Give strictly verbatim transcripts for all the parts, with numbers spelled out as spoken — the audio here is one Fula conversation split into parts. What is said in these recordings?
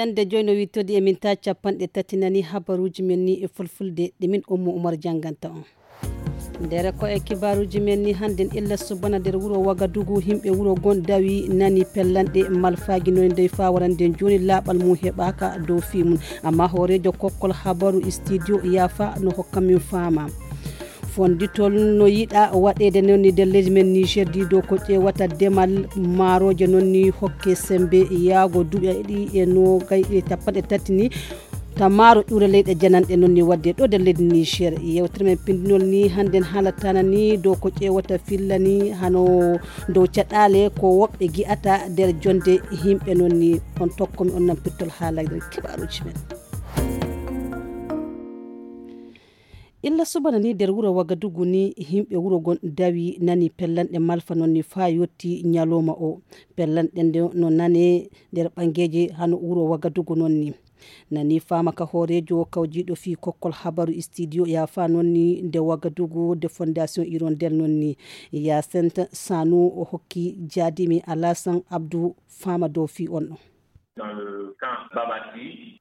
Ende joyno wittodi e min ta capanɗe tati nani habaruji men ni e fulfulde ɗe min Ummu Umar jannganta on. Ndere ko e kibaruji men ni hannden illa subana nder wuro Wagadugu, himɓe wuro gon dawi nani pellanɗe malfaji noy ndey fa warande jooni laaɓal mum heɓaaka dow fii mum. Amma hooreejo kokkol habaru studio Yafa no hokka min faama. Fonditol no yiɗa waɗeede noon ni nder leydi men Niger di dow ko ƴeewata demal maaroje noon ni hokke sembe yaago duuɓi ɗiɗi e noogay e capanɗe tati ni. Tamaaro ƴuure leyɗe jananɗe noon ni wadde ɗo nder leydi Niger. Yewtere men pindinol ni hannden haalatana ni dow ko ƴeewata filla ni hano dow caɗaale ko woɓɓe gi'ata nder jonde yimɓe noon ni. On tokkomi on nan pittol haalagre kibaruji men. Illa subana ni nder wuro Wagadugu ni yimɓe wuro gon dawi nani pellanɗe malfa noon ni faa yotti ñalawma o. Pellanɗe nde no nane nder ɓangeeje hano wuro Wagadugu noon ni. Nani faama ka hooreejo kawjiiɗo fii kokkol habaru studio Yafa noon ni nde Wagadugu de Fondation Hirondelle noon ni. Yacinthe Sanou o hokki jaadimi Alassane Abdou faama dow fii on ɗon.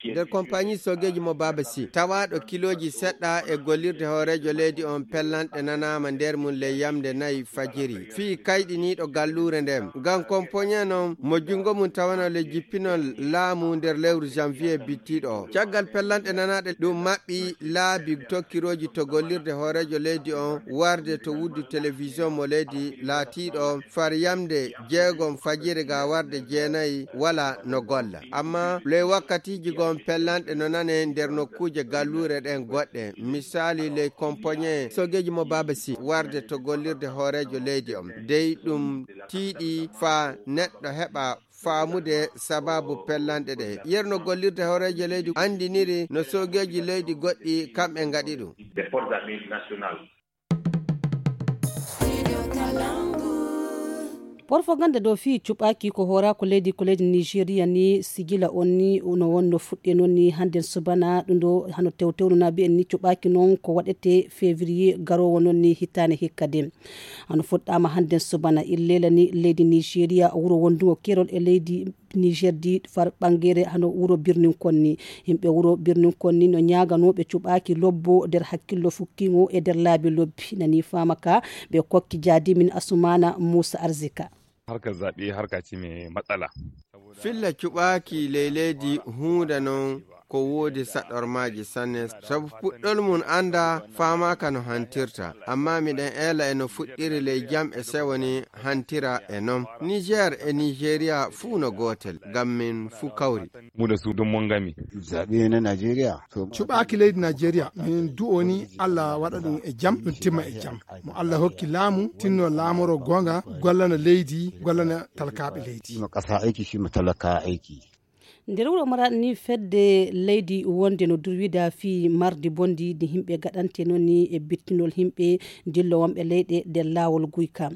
Nder compagnie sogeeji mo Baaba Sy, tawaaɗo kilooji seɗɗa e gollirde hooreejo leydi on pellanɗe nanaama nder mum ley yamnde nayi fajiri. Fii kayɗiniiɗo galluure nden. Ngam kompoñe non mo junngo mum tawano le jippinol laamu nder lewru janvier bittiiɗo o. Caggal pellanɗe nanaaɗe ɗum maɓɓi laabi tokkirooji to gollirde hooreejo leydi on warde to wuddu télévision mo leydi laatiiɗo far yamnde jeegom fajiri ga warde jeenayi wala no golla. Amma ley wakkatiiji gon pellanɗe no nane nder nokkuuje galluure ɗen goɗɗe. Misaali ley kompoñe sogeeji mo Baaba Sy warde to gollirde hooreejo leydi on. Dey ɗum tiiɗi faa neɗɗo heɓa faamude sababu pellanɗe ɗe. Yerno gollirde hooreejo leydi anndiniri no sogeeji leydi goɗɗi kamɓe ngaɗi ɗum. Porfoganda dow fii cuɓaaki ko hooraaku leydi ko leydi Nigeria ni sigila on ni no wonno fuɗɗe noon ni hannden subana ɗum ɗo hano tewtewnu na mbiyen ni cuɓaaki noon ko waɗete février garoowo noon ni hitaande hikka de. Hano fuɗɗaama hannden subana illeela ni leydi Nigeria wuro wondungo kerol e leydi Niger di far ɓangere hano wuro birnin konni. Yimɓe wuro birnin konni no ñaaganooɓe cuɓaaki lobbo nder hakkillo fukkiŋo e nder laabi lobbi. Nani faama ka ɓe kokki jaadimin Asumana Musa Arzika. Harkar zaɓe harka ce mai matsala. Filla cuɓaaki ley leydi huunde non ko woodi saɗormaaji sanne, sabu puɗɗol mum annda faamaaka no hantirta, amma miɗen eela e no fuɗɗiri ley jam e sewo ni hantira e non. Niger e Nigeria fuu no gootel, ngam min fuu kawri. Mu da su dun mun game. Zaɓe na Najeriya. Cuɓaaki leydi Najeriya min du'oni Allah waɗa ɗum e jam, ɗum timma e jam. Mo Allah hokki laamu tinno laamoro goonga, gollana leydi, gollana talkaaɓe leydi. Ma ƙasa aiki shi ma talaka aiki. Nder wuro Maraɗi ni fedde leydi wonde no durwida fii mardi bondi ndi yimɓe gaɗante noon ni e bittinol yimɓe dillo wonɓe leyɗe nder laawol guyka.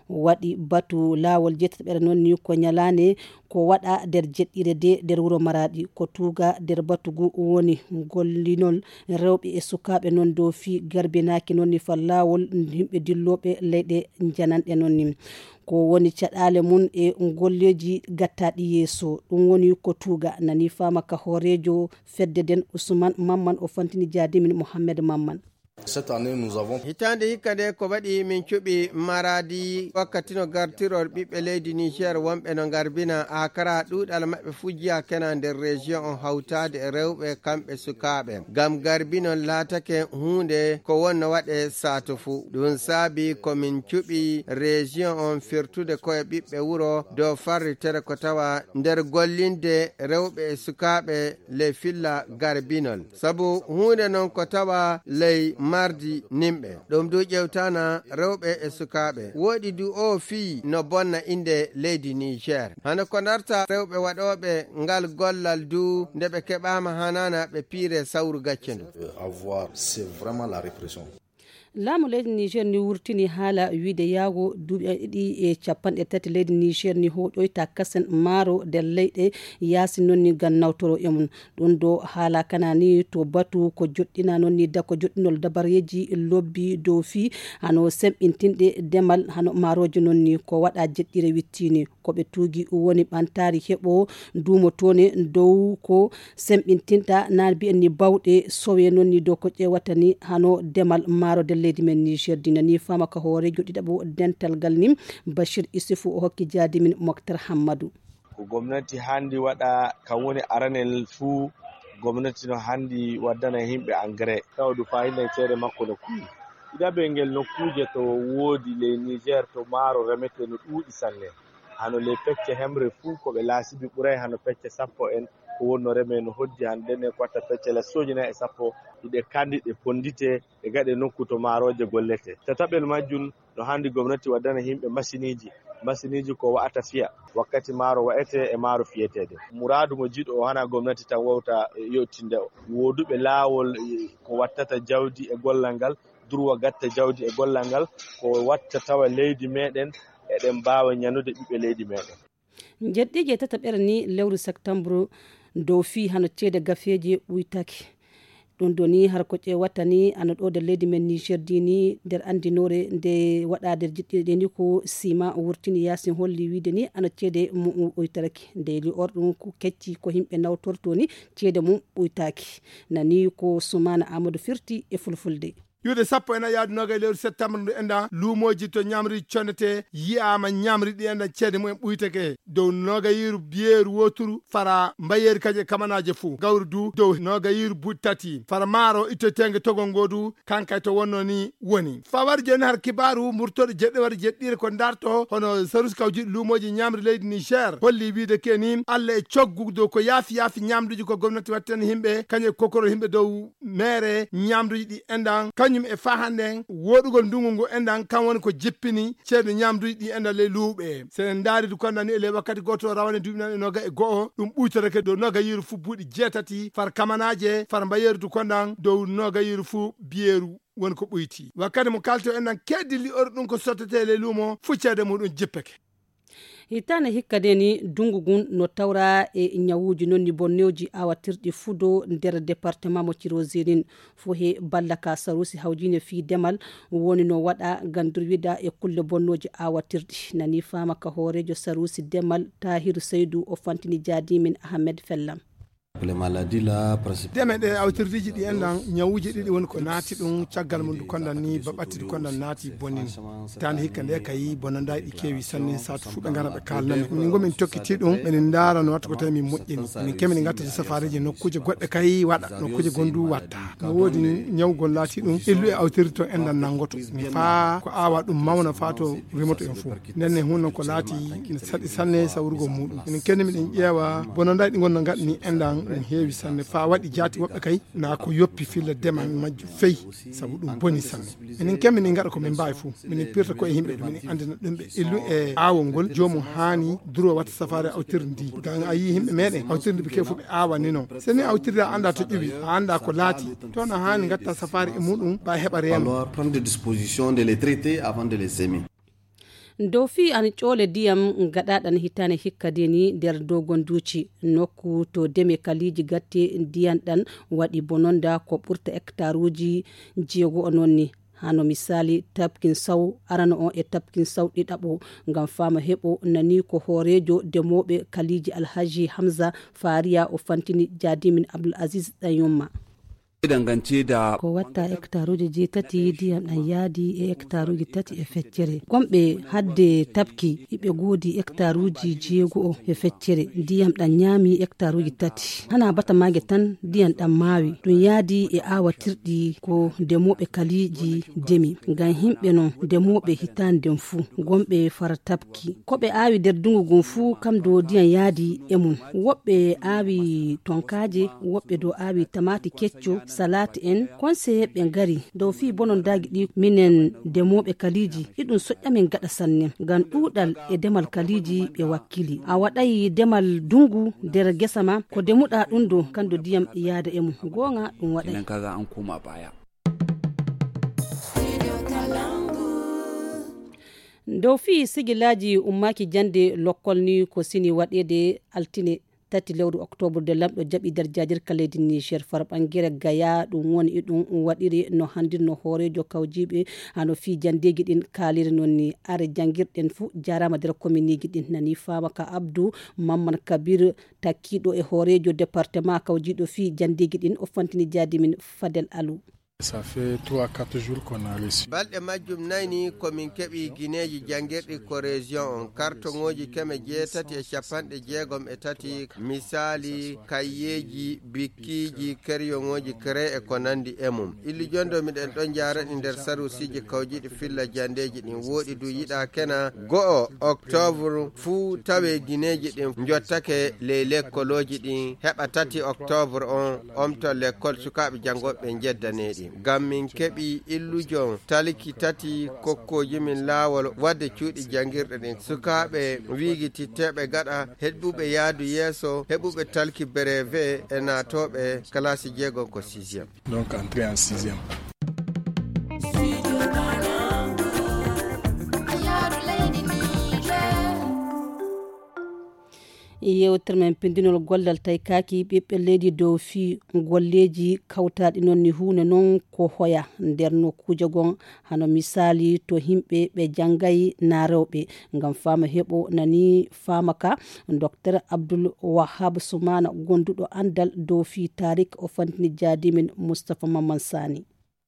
Waɗi batu laawol jettataɓere noon ni ko ñalaande ko waɗa nder jeɗɗire de nder wuro Maraɗi. Ko tuuga nder batu ngu woni gollinol rewɓe e sukaaɓe noon dow fii garbinaaki noon ni fal laawol yimɓe dillooɓe leyɗe jananɗe noon ni. Ko woni caɗaale mum e golleeji gattaaɗi yeeso. Ɗum woni ko tuuga nani faama ka hooreejo fedde nden Usman Mamman o fantini jaadimin Mohammed Mamman. Hitaande hikka nde ko waɗi min cuɓi Maraadi wakkati no gartiror ɓiɓɓe leydi Niger wonɓe no ngarbina akara ɗuuɗal maɓɓe fuu jiya kena nder région on hawtaade e rewɓe kamɓe sukaaɓe. Ngam garbinol laatake huunde ko wonno waɗe saatu fuu. Ɗum saabi ko min cuɓi région on firtude koye ɓiɓɓe wuro dow farritere ko tawa nder gollinde rewɓe e sukaaɓe ley filla garbinol. Sabu huunde non ko tawa ley mardi nimɓe. Ɗum du ƴewtana rewɓe e sukaaɓe. Woɗi du oo fii no bonna innde leydi Niger. Hano ko ndarta rewɓe waɗooɓe ngal gollal du nde ɓe keɓaama hanaana ɓe piire sawru gacce ndu. Avoir, c'est vraiment la répression. Laamu leydi Niger ni wurtini haala wiide yaago duuɓi ɗiɗi e capanɗe tati leydi Niger ni hoɗoyta kasen maaro nder leyɗe yaasi noon ni ngam nawtoro e mum. Ɗum ɗo haala kana ni to batu ko joɗɗina noon ni da ko joɗɗinol dabareeji lobbi dow fii hano semɓintinɗe demal hano maarooje noon ni ko waɗa jeɗɗire wittini. Ko ɓe tuugi woni ɓantaari heɓo duumo toone dow ko semɓintinta na mbiyen ni bawɗe sowe noon ni dow ko ƴeewata ni hano demal maaro nder leydi men Niger dina ni fama ka hooreejo ɗiɗaɓo dental ngal ni Bashir Isufu o hokki jaadi min Moktar Hammadu. Ko gomnati handi waɗa kan woni aranel fuu. Gomnati no handi waddana yimɓe engrais tawa du fayida e ceede makko no kuwi. Ɗiɗaɓel ngel nokkuuje to woodi ley Niger to maaro remete no ɗuuɗi sanne. Hano ley pecce hemre fuu ko ɓe laasibi ɓuray hano pecce sappo en ko wonno reme no hoddi hano ɗen e ko watta pecce la sooji nayi e sappo. Ɗiɗe kandi ɗe pondite e gaɗe nokku to maarooje gollete. Tataɓel majjum no handi gomnati waddana yimɓe masiniiji. Masiniiji ko wa'ata fiya wakkati maaro wa'ete e maaro fiyeteede. Muraadu mo jiiɗo o hana gomnati tan wawta yottinde o. Wooduɓe laawol ko wattata jawdi e gollal ngal durwa gatta jawdi e gollal ngal ko watta tawa leydi meɗen eɗen mbaawa ñanude ɓiɓɓe leydi meɗen. Jeɗɗiiji e tataɓere ni lewru septembre dow fii hano ceede gafeeji ɓuytaki. Ɗum ɗo ni har ko ƴeewata ni ano ɗo nder leydi men Niger di ni nder anndinoore nde waɗa nder jiɗɗiɗe ɗe ni ko sima wurtini yasin holli wiide ni ano ceede mum ɓuytaraki. Nde li or ɗum ko kecci ko yimɓe nawtorto ni ceede mum ɓuytaki. Nani ko Sumana Amadou firti e fulfulde. Ƴuude sappo e nayi yaadu noogay lewru septembre ndu enɗan luumooji to ñamri connete yi'aama ñamri ɗi enɗan ceede mumen ɓuytake dow noogayiiru biyeeru wooturu fara mbayeeri kañum e kamanaaje fuu gawri du dow noogayiiru buuɗi tati fara maaro ittoteenge togol ngoo du kankay to wonnoo ni woni fawar jooni har kibaaru murtooɗo jeɗɗewar jeɗɗiire ko ndarto hono sarusi kawjiɗi luumooji ñamri leydi Niger holli wiide ke ni alla e coggu dow ko yaafi yaafi ñamduuji ko gomnati wattani yimɓe kañum e kokoro yimɓe dow meere ñamduuji ɗi enɗan kañum e faa hannden woɗugol ndungu ngu enɗan kan woni ko jippini ceeɗu ñamduuji ɗi enɗan ley luuɓe. So en ndaari du konɗan ni e ley wakkati gooto rawane duuɓi nan e nooga e go'o ɗum ɓuytorake dow nooga yiiru fuu buuɗi jeetati far kamanaaje far mbayeeru du konɗan dow nooga yiiru fuu biyeeru woni ko ɓuyti wakkati mo kalto enɗan keddilli ori ɗum ko sottete ley luumo fuu ceede muɗum jippake. Hitaande hikka de ni dungu ngun no tawra e ñawuuji non ni bonnooji awatirɗi fudo nder departement mo Tirozirin fo he ballaka sarusi hawjine fii demal woni no waɗa ngam durwida e kulle bonnooji awatirɗi nani faama ka hooreejo sarusi demal Tahiru Seydu o fantini jaadimin Ahmed Fellam. Deme ɗe awtirdiiji ɗi enɗan ñawuuji ɗiɗi woni ko naati ɗum caggal mum ndu kondan ni ba ɓatti ndu kondan naati bonini. Hitaande hikka nde kayi bonandaay ɗi keewi sanne saatu fuu ɓe ngara ɓe kaalnami min ngo min tokkiti ɗum meɗen ndaara no watta ko tawi min moƴƴini min kemi ne ngattata safareeji nokkuuje goɗɗe kayi waɗa nokkuuje gondu watta no woodi ñawgol laati ɗum illu e awtirdi to enɗan nanngoto mi faa ko aawa ɗum mawna faa to rimoto en fuu. Nden ne hunno ko laati ne saɗi sanne sawrugol muɗum enen kenni miɗen ƴeewa bononday ɗi ngonno ngaɗani enɗan ɗum heewi sanne faa waɗi jaati woɓɓe kay na ko yoppi filla demal majjo feyi. Sabu ɗum boni sanne enen ken minen ngaɗa ko min mbaawi fof minen pirta ko e yimɓe ɗum minen anndina ɗum ɓe illu e aawol ngol joomum haani duro watta safaare awtirde ndi ngam a yii yimɓe meɗen awtirde ɓe kew fof ɓe aawanino so ni awtirde a annda to ƴuwi a annda ko laati toon a haani ngatta safaare e muɗum mbawi heɓa reeno. Dow fii an ƴoole ndiyam gaɗaaɗan hitaande hikka de ni nder dogonduuci nokku to deme kaliiji gatte ndiyan ɗan waɗi bononda ko ɓurta hektaruuji jeego o noon ni. Hano misaali tabkin saw arano on e tabkin saw ɗiɗaɓo ngam faama heɓo nani ko hooreejo demooɓe kaliiji Alhaji Hamza Faariya o fantini jaadimin Abdul Aziz Ɗanyumma. Ko watta hektaruuji jeetati ndiyam ɗam yaadi e hektaruuji tati e feccere. Gomɓe hadde tabki iɓe goodi hektaruuji jeego e feccere ndiyam ɗam ñaami hektaruuji tati. Hana bata maage tan ndiyam ɗam maawi. Ɗum yaadi e aawatirɗi ko ndemooɓe kaliiji ndemi. Ngam yimɓe non ndemooɓe hitaande nden fuu gomɓe fara tabki. Ko ɓe aawi nder dungu ngun fuu kam do ndiyam yaadi e mum. Woɓɓe aawi tonkaaje, woɓɓe do aawi tamaati kecco, salaati en. Konseyeeɓe ngari dow fii bonondaagi ɗi minen demooɓe kaliiji iɗum soƴƴa min gaɗa sanne ngam ɗuuɗal e demal kaliiji ɓe wakkili. A waɗay demal dungu nder gesa ma ko demuɗa ɗum do kando ndiyam yaada e mum. Goonga ɗum waɗay. Dow fii sigilaaji ummaaki jannde lokkol ni ko sini waɗeede altine tati lewru oktoobar de lamɗo jaɓi nder jaajirka leydi Niger farɓangere Gaya. Ɗum woni e ɗum waɗiri no hanndirno hooreejo kawjiiɓe hano fii janndeeji ɗin kaaliri noon ni. Are janngirɗen fuu jaaraama nder kominiji ɗin nani faama ka Abdou Mamman Kabir takkiiɗo e hooreejo département kawjiiɗo fii janndeeji ɗin o fantini jaadi min Fadel Alou. Ça fait trois quatre jours qu'on a reçu. Balɗe majjum nayni ko min keɓi gineeji janngirɗi ko région on kartoŋooji keme jeetati e capanɗe jeegom e tati, misaali kayyeeji, bikkiiji, keryoŋooji kere e ko nanndi e mum. Illi jondo miɗen ɗon njaaraɗi nder sarusiiji kawjiiɗi filla janndeeji ɗin wooɗi du yiɗa kena go'o oktoobar fuu tawee gineeji ɗin njottake ley lekkolooji ɗin heɓa tati oktoobar on omto lekkol sukaaɓe janngooɓe ɓe njeddaneeɗi. Ngam min keɓi illujon talki tati kokkooji min laawol waɗde cuuɗi janngirɗe ɗin. Sukaaɓe wiigititteeɓe gaɗa heɓuɓe yaadu yeeso heɓuɓe talki breve e naatooɓe kalaasi jeegom ko sixième. Donc entrée en sixième. Yewtere men pindinol gollal tawi kaaki ɓiɓɓe leydi dow fii golleeji kawtaaɗi noon ni huunde noon ko hoya nder nokkuuje gon hano misaali to yimɓe ɓe janngay na rewɓe. Ngam faama heɓo nani faama ka, Docteur Abdul Wahab Sumana gonduɗo anndal dow fii taarik o fantini jaadi min Moustapha Mamman Sani.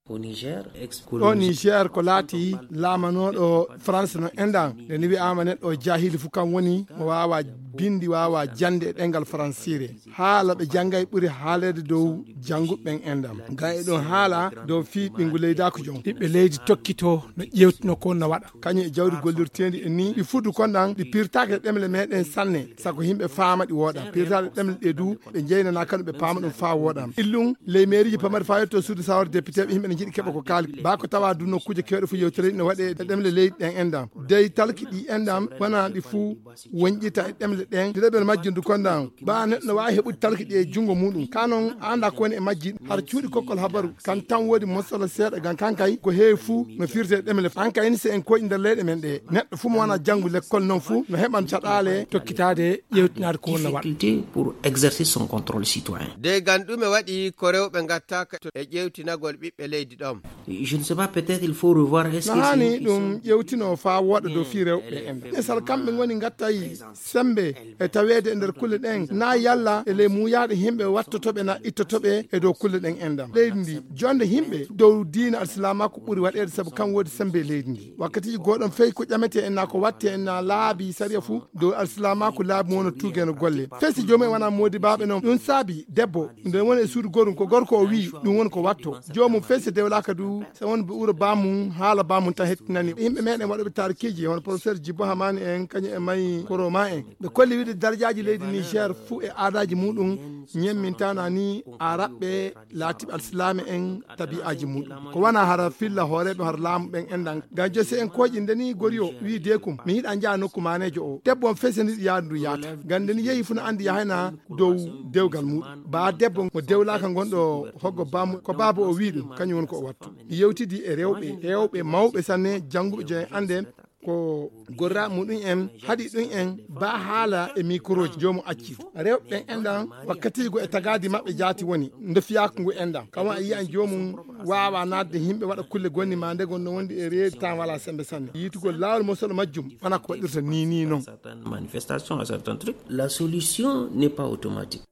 Ɗo Niger ko laati laamanooɗo France no enɗan nde ni wi'aama neɗɗo o jahili fu kam woni mo waawa bindi waawa jannde e ɗemngal faransiire. Haala ɓe janngay ɓuri haaleede dow jannguɓe ɓen enɗan. Ngam e ɗon haala dow fii ɓinngu leydaaku jon ɓiɓɓe leydi tokkitoo no ƴeewtino ko no waɗa. Kañum e jawdi gollirteendi e nii ɗi fuɗu kon ɗan ɗi pirtaaki e ɗemle meɗen sanne. Sago yimɓe faama ɗi wooɗan pirtaaɗe ɗemle ɗe du ɓe jeynanaa kanu ɓe paama ɗum faa wooɗan illum ley meeriiji pamari faa yetto suudu sawar député ɓe yimɓe ne njiɗi keɓa ko kaali baa ko tawa du nokkuuje keewɗe fof yewtere no waɗe e ɗemle leydi ɗen enɗan dey talki ɗi enɗan wonaa ɗi fuu wonƴita e ɗemle ɗen ɗiɗaɓel majjum du konɗan ɓaa neɗɗo no waawi heɓude talki ɗi e junngo muɗum ka noon a anndaa ko woni e majji har cuuɗi kokkol habaru kan tan woodi mosala seeɗa ngam kan kay ko heewi fuu no firte e ɗemle an kay ni so en koyɗi nder leyɗe men ɗe neɗɗo fuu mo wonaa janngu lekkol noon fuu no heɓan caɗaale tokkitaade ƴeewtinaade ko wonna waɗa. Pour exercer son contrôle citoyen. De ngam ɗume waɗi ko rewɓe ngattaaka e ƴeewtinagol ɓiɓɓe leydi ɗon? Je ne sais pas, peut-être il faut revoir est-ce que na haani ɗum ƴeewtinoo faa wooɗa dow fii rewɓe en misal kamɓe ngoni ngattay semmbe e taweede e nder kulle ɗen na yalla e ley muuyaaɗe yimɓe wattotoɓe na ittotoɓe e dow kulle ɗen enɗan leydi ndi jonde yimɓe dow diina alsilaamaaku ɓuri waɗeede sabu kam woodi semmbe e leydi ndi wakkatiiji gooɗon fey ko ƴametee en na ko wattee en na laabi sariya fuu dow alsilaamaaku laabi mo wona tuugeeno golle fesi joomum en wona moodibaaɓe noon ɗum saabi debbo nde woni e suudu gorum ko gorko o wi'i ɗum woni ko watto joomum fesi dewlaaka du so won ɓe ɓura baamum haala baamum tan hettinani yimɓe meɗen waɗoɓe taarikiiji hono professeur Djibo Hamani en kañum e mayi koroma en ɓe kolli wiide darjaaji leydi Niger fuu e aadaaji muɗum ñemmintaana ni araɓɓe laatiɓe alsilaame en tabi'aaji muɗum ko wona hara filla hooreeɓe hara laamu ɓen enɗan ngam josi en kooƴi ndeni gori o wi'i deekum mi yiɗa njaha nokku maaneejo o debbo on fesi niɗi yaadu ndu yaata ngam ndeni yehi fuu no anndi yahayna dow dewgal muɗum baa debbo mo dewlaaka ngonɗo hoggo baamu ko baaba o wi'i ɗum kañum woni ko o wattu mi yewtidi e rewɓe heewɓe mawɓe sanne jannguɓe joyen annde ko gorra muɗum en haɗi ɗum en ba haala e microji joomu acci rewɓe ɓen enɗan wakkatiigo e tagaadi maɓɓe jaati woni nde fiyaaku ngu enɗan kama a yiyan joomum waawa naatde yimɓe waɗa kulle gonni ma nde gonno wondi e reedi tan wala sembe sanne yiitugol laawol mosoɗo majjum wona ko waɗirta ni ni noon. Manifestation à certains trucs la solution n'est pas automatique.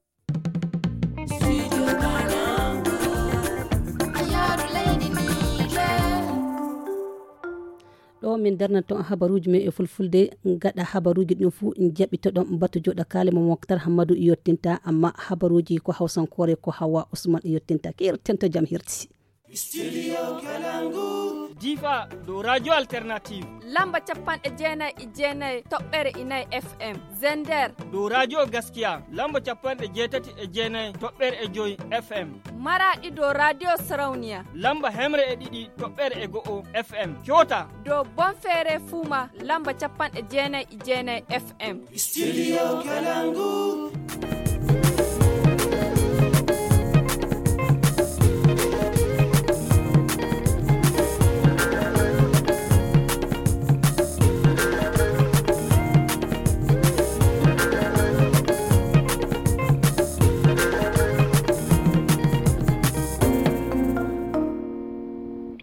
Ɗo min darnata on habaruuji men e fulfulde gaɗa habaruuji ɗin fuu jaɓitoɗon batu joɗa kaale mo moktar hammadu yottinta amma habaruuji ko hawsankoore ko hawa usman yottinta keerten to jam hirti. Difa dow radio alternative lamba capanɗe jeenayi e jeenayi toɓɓere inayi fm. Zender dow radio gaskiya lamba capanɗe jeetati e jeenayi toɓɓere e joyi fm. Maraɗi dow radio sarauniya lamba hemre e ɗiɗi toɓɓere e go'o fm. Coota dow bonfeere fuuma lamba capanɗe jeenayi e jeenayi fm. Studio Kalangu.